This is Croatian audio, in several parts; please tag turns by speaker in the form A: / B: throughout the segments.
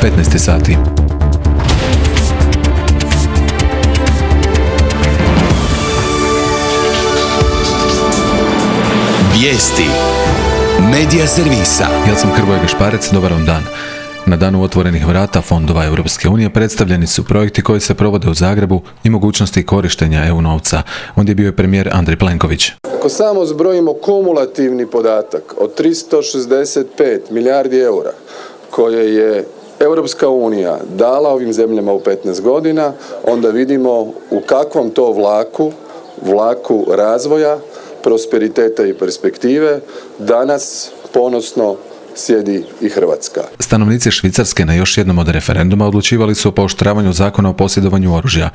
A: 15 sati.
B: Vijesti Medija servisa.
A: Ja sam Hrvoje Gašparec, dobar vam dan. Na danu otvorenih vrata fondova Europske unije predstavljeni su projekti koji se provode u Zagrebu i mogućnosti korištenja EU novca. Ondje je bio premijer Andrej Plenković.
C: Ako samo zbrojimo kumulativni podatak od 365 milijardi eura koje je Europska unija dala ovim zemljama u 15 godina, onda vidimo u kakvom to vlaku razvoja, prosperiteta i perspektive danas ponosno sjedi i Hrvatska.
A: Stanovnici Švicarske na još jednom od referenduma odlučivali su o pooštravanju zakona o posjedovanju oružja.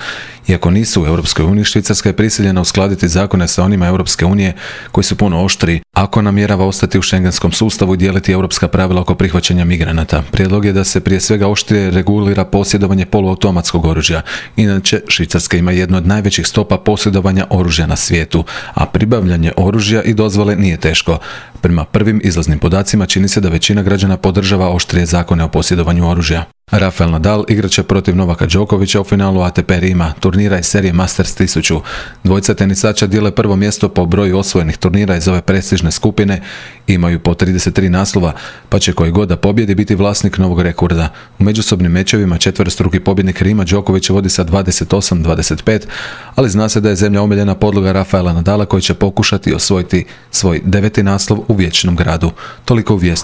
A: Iako nisu u Europskoj uniji, Švicarska je prisiljena uskladiti zakone sa onima Europske unije koji su puno oštriji, ako namjerava ostati u šengenskom sustavu i dijeliti europska pravila oko prihvaćanja migranata. Prijedlog je da se prije svega oštrije regulira posjedovanje poluautomatskog oružja. Inače, Švicarska ima jednu od najvećih stopa posjedovanja oružja na svijetu, a pribavljanje oružja i dozvole nije teško. Prema prvim izlaznim podacima čini se da većina građana podržava oštrije zakone o posjedovanju oružja. Rafael Nadal igraće protiv Novaka Đokovića u finalu ATP Rima, turnira iz serije Masters 1000. Dvojica tenisača dijele prvo mjesto po broju osvojenih turnira iz ove prestižne skupine, imaju po 33 naslova, pa će koji god da pobjedi biti vlasnik novog rekorda. U međusobnim mečevima četverostruki pobjednik Rima Đoković vodi sa 28-25, ali zna se da je zemlja omiljena podloga Rafaela Nadala koji će pokušati osvojiti svoj 9. naslov u vječnom gradu. Toliko u vijestima.